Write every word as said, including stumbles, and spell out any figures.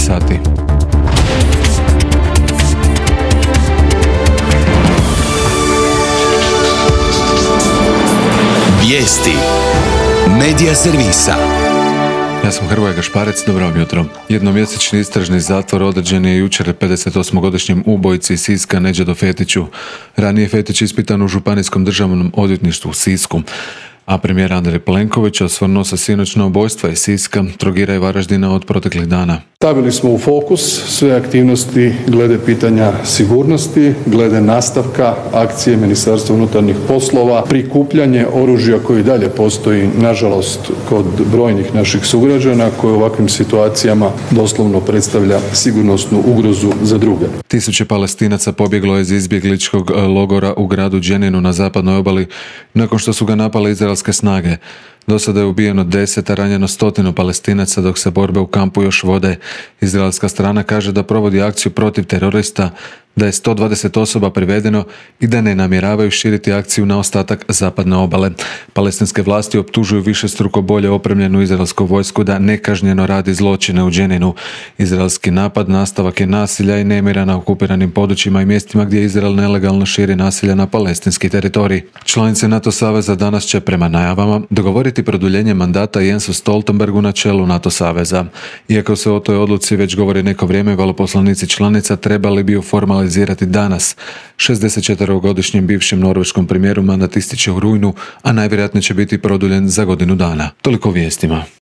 sati. Vijesti Medija servisa. Ja sam Hrvoje Gašparec, dobro vam jutro. Jednomjesečni istražni zatvor određen je jučer pedesetosmogodišnjem ubojici iz Siska Nedžadu Fetiću. Ranije je Fetić ispitan u Županijskom državnom odvjetništvu u Sisku. A premijer Andrej Plenković osvrnuo se sinoć na ubojstva iz Siska, Trogira i Varaždina od proteklih dana. Stavili smo u fokus sve aktivnosti glede pitanja sigurnosti, glede nastavka akcije Ministarstva unutarnjih poslova, prikupljanje oružja koji dalje postoji, nažalost, kod brojnih naših sugrađana koji u ovakvim situacijama doslovno predstavlja sigurnosnu ugrozu za druge. Tisuće Palestinaca pobjeglo je iz izbjegličkog logora u gradu Dženinu na zapadnoj obali nakon što su ga napale izraelske snage. Do sada je ubijeno deset, a ranjeno stotinu Palestinaca dok se borbe u kampu još vode. Izraelska strana kaže da provodi akciju protiv terorista, da je sto dvadeset osoba privedeno i da ne namjeravaju širiti akciju na ostatak zapadne obale. Palestinske vlasti optužuju višestruko bolje opremljenu izraelsku vojsku da nekažnjeno radi zločine u Dženinu. Izraelski napad nastavak je nasilja i nemira na okupiranim područjima i mjestima gdje Izrael nelegalno širi nasilje na palestinski teritorij. Članice NATO saveza danas će prema najavama dogovoriti produljenje mandata Jensu Stoltenbergu na čelu NATO saveza. Iako se o toj odluci već govori neko vrijeme, veleposlanici članica trebali bi ju formalizirati danas. šezdesetčetverogodišnjem bivšem norveškom premijeru mandat ističe u rujnu, a najvjerojatnije će biti produljen za godinu dana. Toliko o vijestima.